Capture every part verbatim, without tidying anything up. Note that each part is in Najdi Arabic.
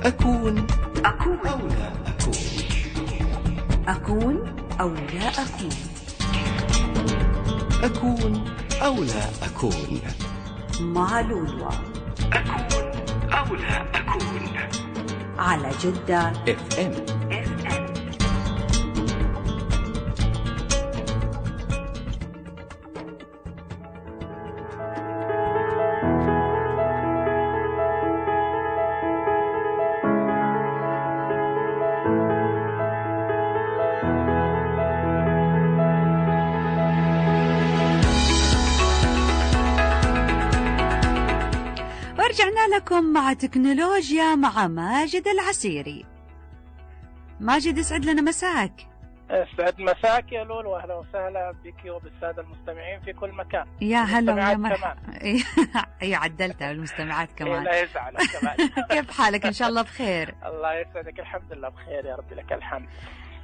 أكون أكون أو لا أكون أكون أو لا أكون أكون أو لا أكون مع لولو. أكون أو لا أكون على جدة اف ام. ورجعنا لكم مع تكنولوجيا مع ماجد العسيري. ماجد يسعد لنا مساك. يسعد مساك يا لولو، واهلا وسهلا بك وبالساده المستمعين في كل مكان. يا هلا ويا مرحبا. اي عدلتها المستمعات كمان. لا يزعل كمان. كيف حالك؟ ان شاء الله بخير. الله يسعدك، الحمد لله بخير يا رب، لك الحمد.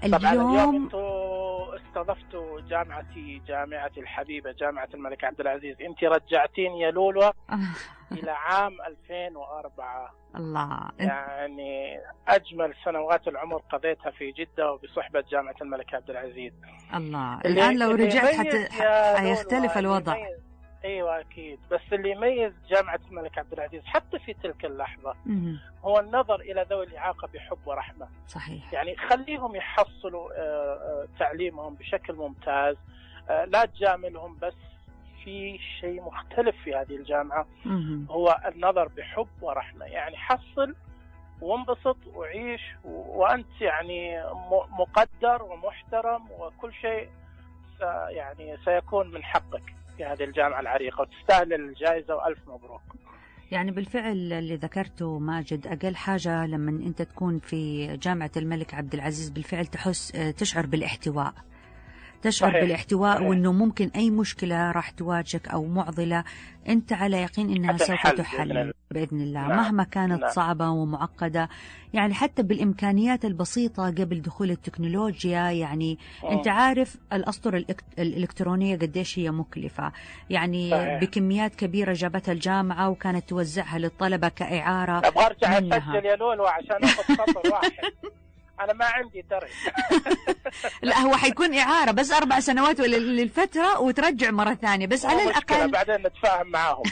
اليوم طبعا اليوم انتوا استضفتوا جامعتي جامعتي الحبيبه جامعه الملك عبد العزيز. انت رجعتيني يا لولو الى عام ألفين وأربعة. الله، يعني اجمل سنوات العمر قضيتها في جده وبصحبه جامعه الملك عبد العزيز. الله، الان لو رجعت حت... حيختلف الوضع. ايوه اكيد، بس اللي يميز جامعه الملك عبد العزيز حتى في تلك اللحظه مم. هو النظر الى ذوي الاعاقه بحب ورحمه. صحيح. يعني خليهم يحصلوا تعليمهم بشكل ممتاز، لا تجاملهم، بس في شيء مختلف في هذه الجامعه مم. هو النظر بحب ورحمه. يعني حصل وانبسط وعيش وانت يعني مقدر ومحترم، وكل شيء يعني سيكون من حقك في هذه الجامعة العريقة، وتستاهل الجائزة وألف مبروك. يعني بالفعل اللي ذكرته ماجد، أقل حاجة لما أنت تكون في جامعة الملك عبد العزيز بالفعل تحس تشعر بالاحتواء، تشعر صحيح. بالاحتواء صحيح. وأنه ممكن أي مشكلة راح تواجهك أو معضلة أنت على يقين أنها سوف تحل بإذن الله. نعم. مهما كانت نعم. صعبة ومعقدة، يعني حتى بالإمكانيات البسيطة قبل دخول التكنولوجيا. يعني م. أنت عارف الأسطر الإلكترونية قديش هي مكلفة، يعني صحيح. بكميات كبيرة جابتها الجامعة وكانت توزعها للطلبة كإعارة. أبغى أرجع أسجل يا لولو عشان أخذ سطر واحد. أنا ما عندي ترى. لا، هو حيكون إعارة بس أربع سنوات للفترة وترجع مرة ثانية، بس على الأقل بعدين نتفاهم معاهم.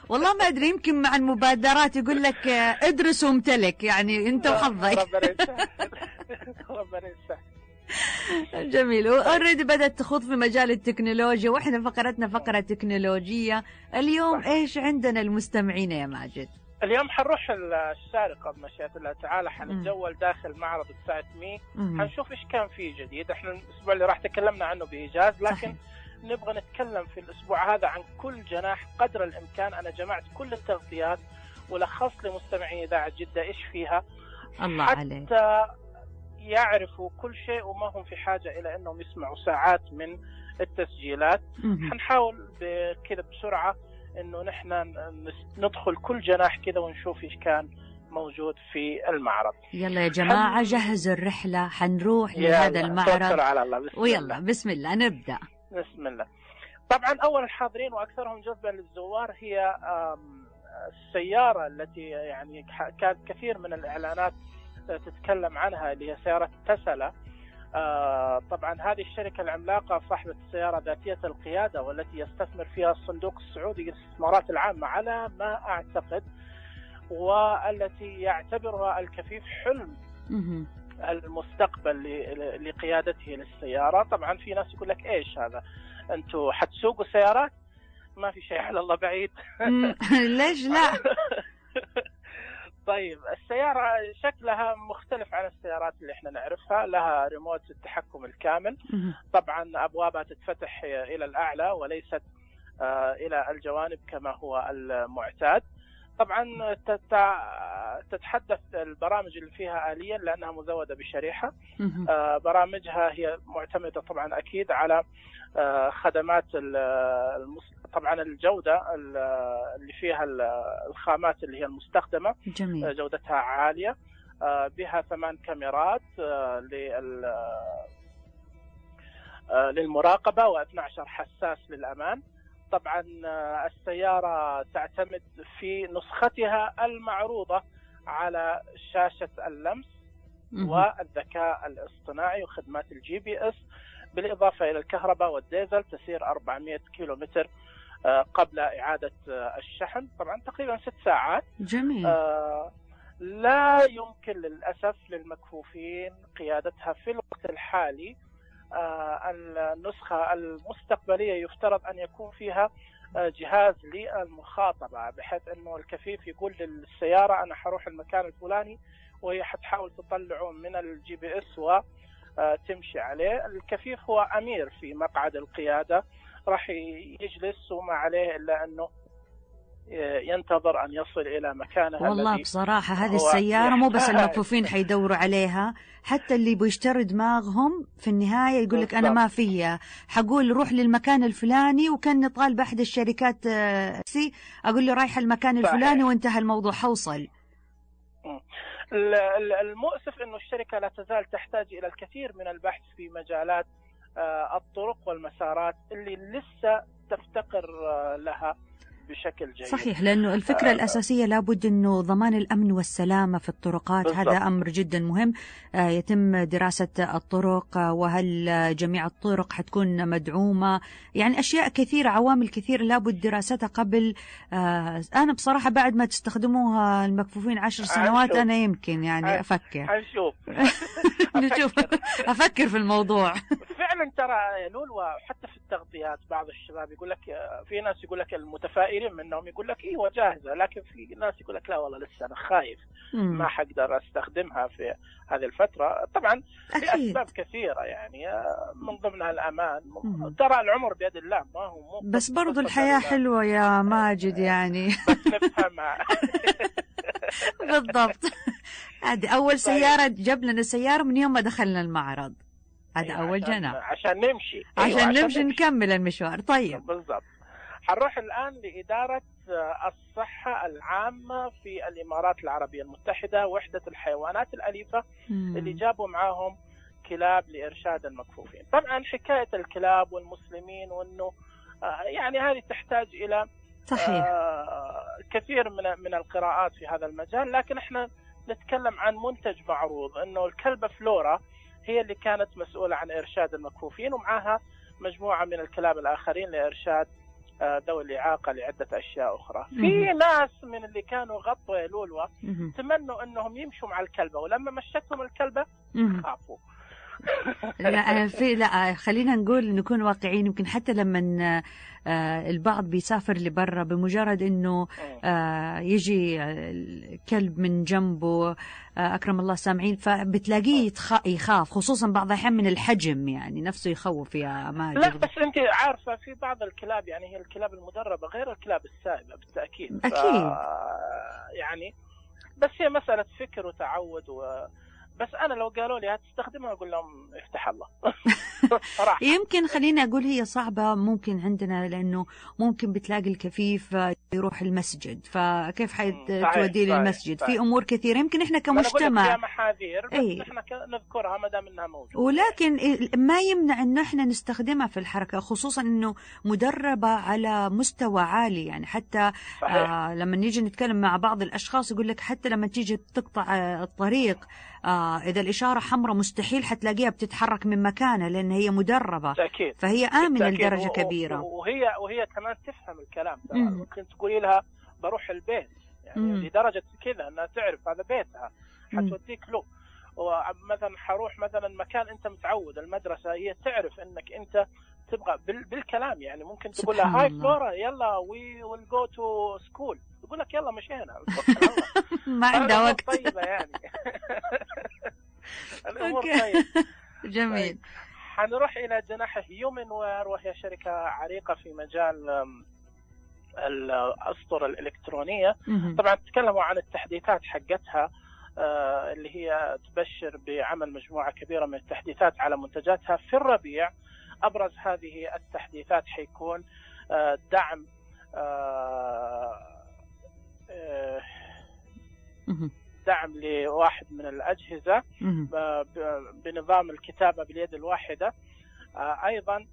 والله ما أدري، يمكن مع المبادرات يقول لك ادرس وامتلك، يعني أنت وحظك. ربنا يسهل. جميل. وأوريدي بدأت تخوض في مجال التكنولوجيا، وإحنا فقرتنا فقرة تكنولوجية. اليوم صح. إيش عندنا المستمعين يا ماجد؟ اليوم حنروح الشارقة بمشيئة الله تعالى، حنتجول داخل معرض الساعة مي، حنشوف إيش كان فيه جديد. إحنا الأسبوع اللي راح تكلمنا عنه بإيجاز، لكن صحيح. نبغى نتكلم في الأسبوع هذا عن كل جناح قدر الإمكان. أنا جمعت كل التغطيات ولخصت لمستمعي إذاعة جدة إيش فيها، الله حتى عليك. يعرفوا كل شيء وما هم في حاجة إلى أنهم يسمعوا ساعات من التسجيلات. حنحاول بكذا بسرعة إنه نحن ندخل كل جناح كذا ونشوف إيش كان موجود في المعرض. يلا يا جماعة حن... جهزوا الرحلة، حنروح لهذا المعرض. على الله. بسم ويلا الله. بسم الله نبدأ. بسم الله. طبعا أول الحاضرين وأكثرهم جذبا للزوار هي السيارة التي يعني كانت كثير من الإعلانات تتكلم عنها، اللي هي سيارة تسلا. آه طبعا هذه الشركة العملاقة صاحبة السيارة ذاتية القيادة، والتي يستثمر فيها الصندوق السعودي للاستثمارات العامة على ما أعتقد، والتي يعتبرها الكفيف حلم المستقبل لقيادته للسيارة. طبعا في ناس يقول لك إيش هذا، أنتوا حتسوقوا سيارات؟ ما في شيء على الله بعيد. ليش لا؟ طيب السيارة شكلها مختلف عن السيارات اللي احنا نعرفها، لها ريموت التحكم الكامل. طبعا أبوابها تتفتح إلى الأعلى وليست إلى الجوانب كما هو المعتاد. طبعا تتحدث البرامج اللي فيها آليا لأنها مزودة بشريحة. برامجها هي معتمدة طبعا أكيد على خدمات طبعا الجودة اللي فيها الخامات اللي هي المستخدمة. جميل. جودتها عالية، بها ثمان كاميرات للمراقبة واثني عشر حساس للأمان. طبعا السيارة تعتمد في نسختها المعروضة على شاشة اللمس والذكاء الاصطناعي وخدمات الجي بي اس، بالإضافة إلى الكهرباء والديزل. تسير أربعمائة كيلومتر قبل إعادة الشحن، طبعا تقريبا ست ساعات. جميل. آه لا يمكن للأسف للمكفوفين قيادتها في الوقت الحالي. آه النسخة المستقبلية يفترض أن يكون فيها آه جهاز للمخاطبة، بحيث أنه الكفيف يقول للسيارة أنا حروح المكان الفلاني، وهي حتحاول تطلعه من الجي بي اس وتمشي عليه. الكفيف هو أمير في مقعد القيادة، راح يجلس وما عليه إلا أنه ينتظر أن يصل إلى مكانه. والله بصراحة هذه السيارة مو بس المكفوفين حيدوروا عليها، حتى اللي بيشتروا دماغهم في النهاية يقول لك أنا ما فيها، حقول روح للمكان الفلاني، وكان طالب أحد الشركات سي أقول له رايح المكان الفلاني وانتهى الموضوع، حوصل. المؤسف أنه الشركة لا تزال تحتاج إلى الكثير من البحث في مجالات الطرق والمسارات اللي لسه تفتقر لها بشكل جيد. صحيح، لأنه الفكرة آه الأساسية لابد أنه ضمان الأمن والسلامة في الطرقات. بالضبط. هذا أمر جدا مهم. آه يتم دراسة الطرق، آه وهل جميع الطرق حتكون مدعومة، يعني أشياء كثيرة، عوامل كثيرة لابد دراستها قبل. آه أنا بصراحة بعد ما تستخدموها المكفوفين عشر سنوات أنا يمكن يعني أفكر هنشوف نشوف أفكر في الموضوع. فعلا ترى يا لولو، حتى في التغطيات بعض الشباب يقول لك، في ناس يقول لك المتفائلين منهم يقول لك ايوه جاهزه، لكن في ناس يقول لك لا والله لسه انا خايف مم. ما حقدر استخدمها في هذه الفتره. طبعا لاسباب كثيره، يعني من ضمنها الامان. مم. ترى العمر بيد الله، ما هو مو بس برضو الحياه حلوه يا ماجد يعني بس نفهمها. بالضبط. هذه اول سياره جاب لنا السياره من يوم ما دخلنا المعرض، هذا أيوة أول جناح عشان نمشي. عشان, أيوة عشان نمشي نكمل المشوار. طيب بالضبط. حنروح الآن لإدارة الصحة العامة في الإمارات العربية المتحدة، وحدة الحيوانات الأليفة مم. اللي جابوا معاهم كلاب لإرشاد المكفوفين. طبعا حكاية الكلاب والمسلمين وأنه يعني هذه تحتاج إلى صحيح. كثير من من القراءات في هذا المجال، لكن احنا نتكلم عن منتج معروض، أنه الكلبة فلورا هي اللي كانت مسؤولة عن إرشاد المكفوفين، ومعها مجموعة من الكلاب الآخرين لإرشاد ذوي الإعاقة لعدة أشياء أخرى. في ناس من اللي كانوا غطوا يا لولوة تمنوا أنهم يمشوا مع الكلبة، ولما مشتهم الكلبة خافوا. لا في لا خلينا نقول نكون واقعيين. يمكن حتى لما آه البعض بيسافر لبرا، بمجرد انه آه يجي الكلب من جنبه، آه اكرم الله سامعين، فبتلاقيه يخاف، خصوصا بعض الاحيان من الحجم، يعني نفسه يخوف يا ماجد. لا بس انت عارفه في بعض الكلاب، يعني هي الكلاب المدربه غير الكلاب السائبه بالتاكيد. اكيد يعني بس هي مساله فكر وتعود و... بس أنا لو قالوا لي هتستخدمها أقول لهم افتح الله. يمكن خليني أقول هي صعبة ممكن عندنا، لأنه ممكن بتلاقي الكفيف يروح المسجد، فكيف حتوديه للمسجد؟ في أمور كثيرة يمكن إحنا كمجتمع فيها محاذير، بس ايه؟ إحنا نذكرها ما دام إنها موجودة. ولكن ما يمنع إنه إحنا نستخدمها في الحركة، خصوصا إنه مدربة على مستوى عالي. يعني حتى آه لما نيجي نتكلم مع بعض الأشخاص يقول لك حتى لما تيجي تقطع الطريق، آه إذا الإشارة حمراء مستحيل حتلاقيها بتتحرك من مكانها، لأن هي مدربة. تأكيد. فهي آمنة لدرجة كبيرة، وهي وهي كمان تفهم الكلام. ممكن تقولي لها بروح البيت، يعني مم. لدرجة كذا أنها تعرف هذا بيتها، حتوديك له. ومثلا حروح مثلا مكان أنت متعود، المدرسة، هي تعرف أنك أنت تبغى بالكلام. يعني ممكن تقول لها هاي فلورا يلا وي ويل جو تو سكول، يقول لك يلا مشينا. ما عنده وقت. طيبة يعني. الأمور طيبة. جميل. حنروح إلى جناح هيومن وير، وهي شركة عريقة في مجال الأسطر الإلكترونية. طبعا تكلموا عن التحديثات حقتها اللي هي تبشر بعمل مجموعة كبيرة من التحديثات على منتجاتها في الربيع. أبرز هذه التحديثات حيكون دعم دعم لواحد من الأجهزة بنظام الكتابة باليد الواحدة. أيضا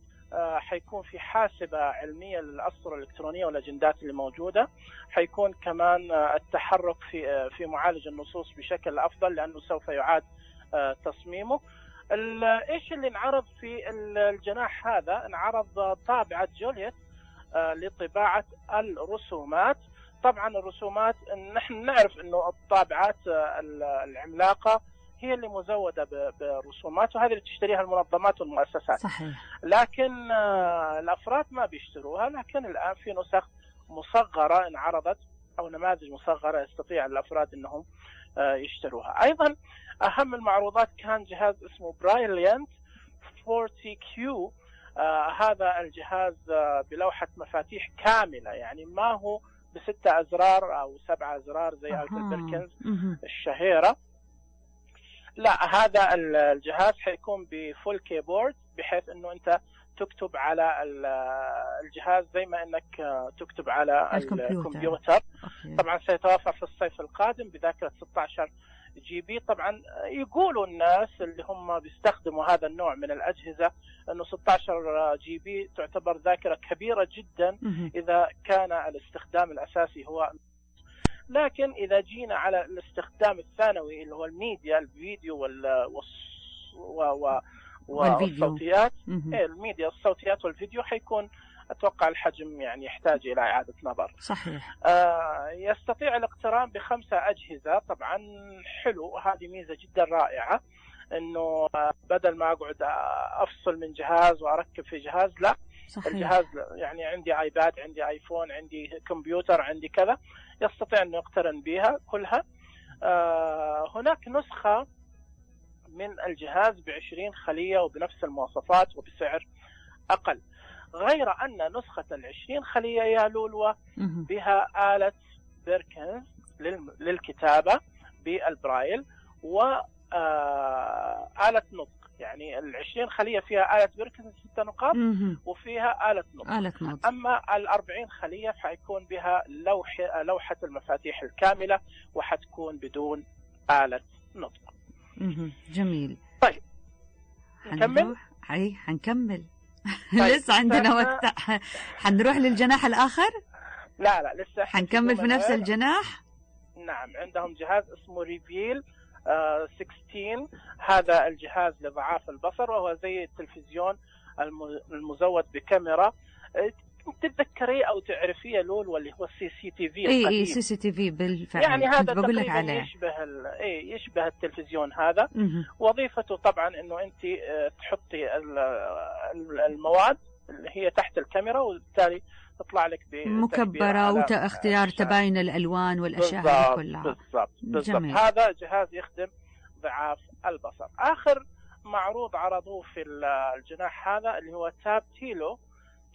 حيكون في حاسبة علمية للأسطر الإلكترونية والأجندات اللي موجودة. حيكون كمان التحرك في في معالج النصوص بشكل أفضل لأنه سوف يعاد تصميمه. إيش اللي انعرض في الجناح هذا؟ انعرض طابعة جوليت لطباعة الرسومات. طبعا الرسومات نحن نعرف أنه الطابعات العملاقة هي اللي مزودة برسومات، وهذه اللي تشتريها المنظمات والمؤسسات. صحيح. لكن الأفراد ما بيشتروها، لكن الآن في نسخ مصغرة انعرضت أو نماذج مصغرة يستطيع الأفراد أنهم يشتروها. أيضا أهم المعروضات كان جهاز اسمه برايليانت أربعين كيو. آه هذا الجهاز آه بلوحة مفاتيح كاملة، يعني ما هو بستة أزرار أو سبعة أزرار زي آلة البركنز الشهيرة. لا، هذا الجهاز حيكون بفول كيبورد بحيث أنه أنت تكتب على الجهاز زي ما أنك تكتب على الكمبيوتر, الكمبيوتر. طبعا سيتوفر في الصيف القادم بذاكرة ستة عشر جي بي. طبعا يقولوا الناس اللي هم بيستخدموا هذا النوع من الأجهزة أنه ستة عشر جي بي تعتبر ذاكرة كبيرة جدا إذا كان الاستخدام الأساسي هو. لكن إذا جينا على الاستخدام الثانوي اللي هو الميديا، الفيديو وال والصوتيات، الميديا الصوتيات والفيديو، حيكون أتوقع الحجم يعني يحتاج إلى إعادة نظر. صحيح. آه يستطيع الاقتران بخمسة أجهزة. طبعا حلو، هذه ميزة جدا رائعة، إنه بدل ما أقعد أفصل من جهاز وأركب في جهاز، لا. صحيح. الجهاز يعني عندي آيباد، عندي آيفون، عندي كمبيوتر، عندي كذا، يستطيع أنه يقترن بها كلها. آه هناك نسخة من الجهاز بعشرين خلية وبنفس المواصفات وبسعر أقل، غير أن نسخة العشرين خلية يا لولوة بها آلة بيركنز للكتابة بالبرايل وآلة نطق. يعني العشرين خلية فيها آلة بيركنز ستة نقاط وفيها آلة نطق. آلة نطق. أما الأربعين خلية فحيكون بها لوحة, لوحة المفاتيح الكاملة وحتكون بدون آلة نطق. جميل. طيب نكمل؟ أي حنكمل. طيب. لسه عندنا وقت. حنروح للجناح الآخر؟ لا لا لسه حنكمل في نفس الجناح. نعم، عندهم جهاز اسمه ريفيل آه ستة عشر. هذا الجهاز لضعاف البصر، وهو زي التلفزيون المزود بكاميرا. تتذكريه او تعرفيه لول، واللي هو السي سي تي في القديم. اي اي سي سي تي في بالفعل. يعني هذا بقول لك عليه يشبه اي يشبه التلفزيون هذا. م- وظيفته طبعا انه انت تحطي المواد اللي هي تحت الكاميرا، وبالتالي تطلع لك مكبرة واختيار تباين الالوان والاشياء هذه كلها. بالضبط بالضبط. هذا جهاز يخدم ضعاف البصر. اخر معروض عرضوه في الجناح هذا اللي هو تابتيلو.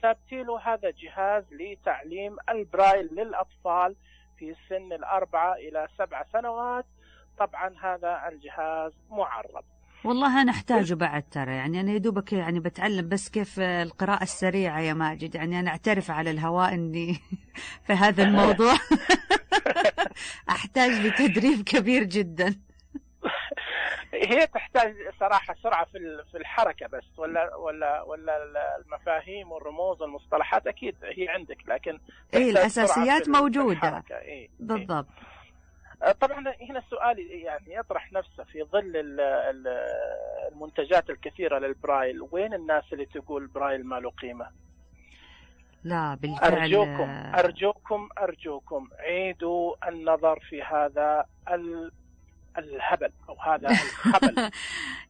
تابتيلو هذا جهاز لتعليم البرايل للأطفال في سن الأربعة إلى سبع سنوات. طبعا هذا الجهاز معرض. والله أنا أحتاجه بعد ترى، يعني أنا يدوبك يعني بتعلم بس كيف القراءة السريعة يا ماجد، يعني أنا أعترف على الهواء أني في هذا الموضوع أحتاج لتدريب كبير جدا. هي تحتاج صراحة سرعة في في الحركة بس، ولا ولا ولا المفاهيم والرموز والمصطلحات أكيد هي عندك، لكن إيه الأساسيات موجودة. إيه بالضبط. إيه. طبعا هنا السؤال يعني يطرح نفسه في ظل المنتجات الكثيرة للبرايل، وين الناس اللي تقول برايل ما له قيمة؟ لا بالفعل. أرجوكم أرجوكم أرجوكم عيدوا النظر في هذا ال الهبل أو هذا الخبل.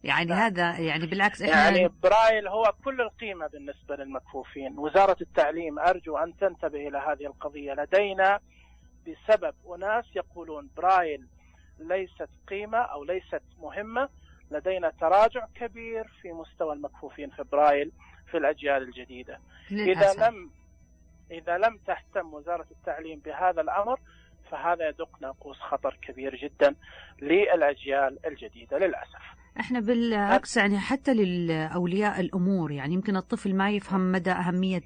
يعني هذا يعني بالعكس إحنا يعني برايل هو كل القيمة بالنسبة للمكفوفين. وزارة التعليم أرجو أن تنتبه إلى هذه القضية. لدينا بسبب أناس يقولون برايل ليست قيمة أو ليست مهمة، لدينا تراجع كبير في مستوى المكفوفين في برايل في الأجيال الجديدة. للأسف. إذا لم إذا لم تهتم وزارة التعليم بهذا الأمر فهذا يدق ناقوس خطر كبير جدا للأجيال الجديدة للأسف. احنا بالعكس يعني حتى للأولياء الأمور، يعني يمكن الطفل ما يفهم مدى أهمية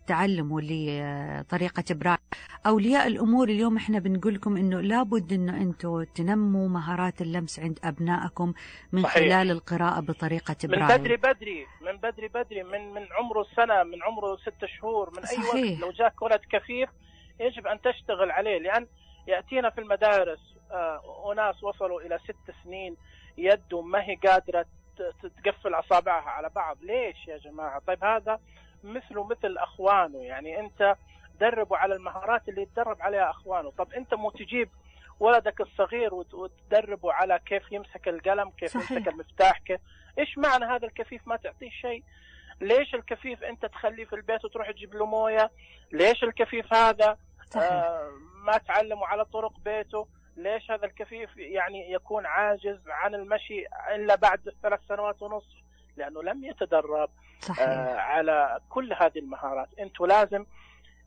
تعلمه لطريقة برايل. أولياء الأمور اليوم احنا بنقول لكم إنه لابد إنه أنتوا تنموا مهارات اللمس عند أبنائكم من صحيح. خلال القراءة بطريقة برايل من بدري بدري من بدري بدري من من عمره سنة، من عمره ست شهور، من أي صحيح. وقت لو جاك ولد كفيف يجب أن تشتغل عليه، لأن يأتينا في المدارس آه أناس وصلوا إلى ست سنين يده ما هي قادرة تقفل أصابعها على بعض. ليش يا جماعة؟ طيب هذا مثله مثل أخوانه، يعني أنت دربوا على المهارات اللي يتدرب عليها أخوانه. طب أنت مو تجيب ولدك الصغير وتدربوا على كيف يمسك القلم، كيف صحيح. يمسك المفتاح، كيف إيش معنى هذا الكفيف ما تعطيه شيء؟ ليش الكفيف أنت تخليه في البيت وتروح تجيب له موية؟ ليش الكفيف هذا آه ما تعلمه على طرق بيته؟ ليش هذا الكفيف يعني يكون عاجز عن المشي إلا بعد ثلاث سنوات ونصف؟ لأنه لم يتدرب آه على كل هذه المهارات. أنتوا لازم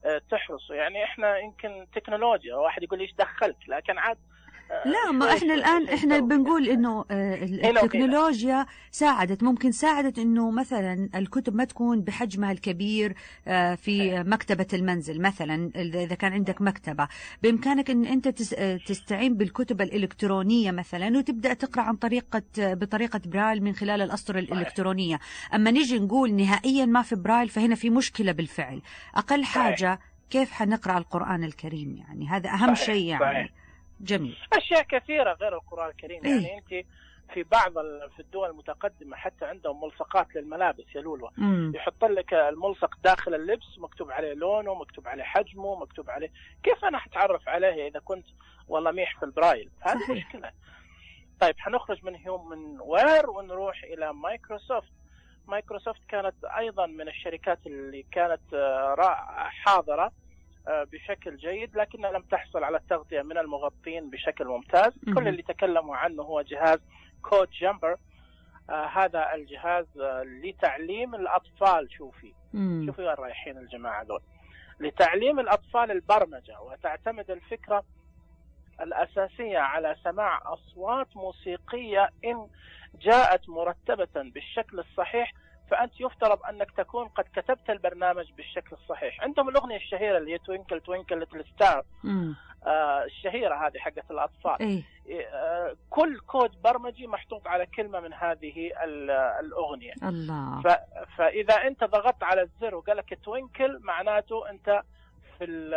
آه تحرصوا. يعني إحنا يمكن تكنولوجيا، واحد يقول إيش دخلت، لكن عاد لا ما احنا الآن احنا بنقول انه التكنولوجيا ساعدت، ممكن ساعدت انه مثلا الكتب ما تكون بحجمها الكبير في مكتبة المنزل. مثلا اذا كان عندك مكتبة بامكانك ان انت تستعين بالكتب الالكترونية مثلا وتبدأ تقرأ عن طريقة بطريقة برايل من خلال الأسطر الالكترونية. اما نيجي نقول نهائيا ما في برايل فهنا في مشكلة بالفعل. اقل حاجة كيف حنقرأ القرآن الكريم، يعني هذا اهم شيء. يعني جميل. أشياء كثيرة غير القرآن الكريم. يعني إيه؟ أنت في بعض في الدول المتقدمة حتى عندهم ملصقات للملابس يا لولو، يحط لك الملصق داخل اللبس مكتوب عليه لونه، مكتوب عليه حجمه، مكتوب عليه كيف أنا حتعرف عليه إذا كنت والله ميح في البرايل؟ هذه مشكلة. طيب حنخرج من هيومن وير ونروح إلى مايكروسوفت. مايكروسوفت كانت أيضا من الشركات اللي كانت حاضرة بشكل جيد، لكنها لم تحصل على التغطية من المغطين بشكل ممتاز. م- كل اللي تكلموا عنه هو جهاز كود جامبر. آه هذا الجهاز آه لتعليم الأطفال. شوفي م- شوفي وين رايحين الجماعة دول، لتعليم الأطفال البرمجة. وتعتمد الفكرة الأساسية على سماع أصوات موسيقية إن جاءت مرتبة بالشكل الصحيح، فأنت يفترض أنك تكون قد كتبت البرنامج بالشكل الصحيح. عندهم الأغنية الشهيرة اللي هي توينكل توينكل ليتل ستار آه الشهيرة هذه حقت الأطفال. إيه؟ آه كل كود برمجي محطوط على كلمة من هذه الأغنية. الله. فإذا أنت ضغطت على الزر وقال لك توينكل معناته أنت في ال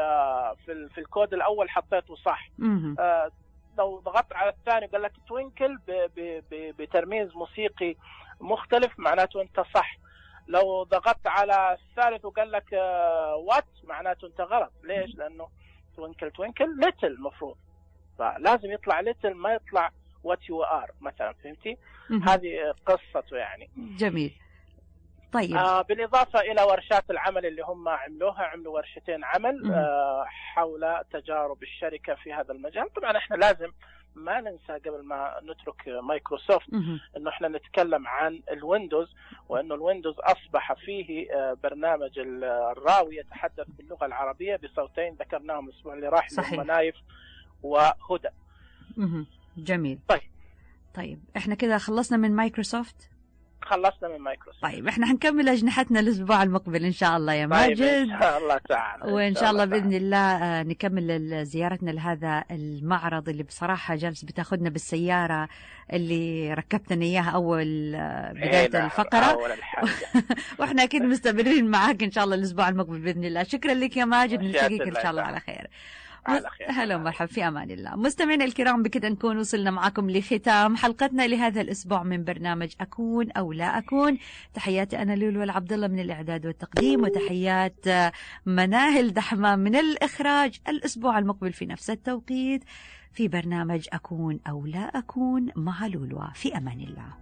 في, ال في الكود الأول حطيته صح. آه لو ضغطت على الثاني وقال لك توينكل بترميز موسيقي مختلف معناته انت صح. لو ضغطت على الثالث وقال لك وات معناته انت غلط. ليش؟ لانه توينكل توينكل ليتل مفروض، فلازم يطلع ليتل ما يطلع وات يو ار مثلا. فهمتي؟ هذه قصته يعني. جميل. طيب آه بالاضافه الى ورشات العمل اللي هم عملوها، عملوا ورشتين عمل آه حول تجارب الشركه في هذا المجال. طبعا احنا لازم ما ننسى قبل ما نترك مايكروسوفت انه احنا نتكلم عن الويندوز، وانه الويندوز اصبح فيه برنامج الراوي يتحدث باللغه العربيه بصوتين ذكرناهم الاسبوع اللي راح، اللي هم نايف وهدى. جميل. طيب طيب احنا كده خلصنا من مايكروسوفت. خلصنا من مايكروسوفت. طيب احنا هنكمل أجنحتنا الأسبوع المقبل إن شاء الله يا ماجد. طيب إن شاء الله تعالى. وإن شاء الله بإذن الله نكمل زيارتنا لهذا المعرض اللي بصراحة جالس بتاخدنا بالسيارة اللي ركبتنا إياها أول بداية الفقرة. أول وإحنا أكيد مستمرين معاك إن شاء الله الأسبوع المقبل بإذن الله. شكرا لك يا ماجد، نلتقيك إن شاء الله على خير. هلا ومرحبا، في أمان الله. مستمعينا الكرام، بكده نكون وصلنا معكم لختام حلقتنا لهذا الأسبوع من برنامج أكون أو لا أكون. تحياتي أنا لولو العبد الله من الإعداد والتقديم، وتحيات مناهل دحمة من الإخراج. الأسبوع المقبل في نفس التوقيت في برنامج أكون أو لا أكون مع لولو. في أمان الله.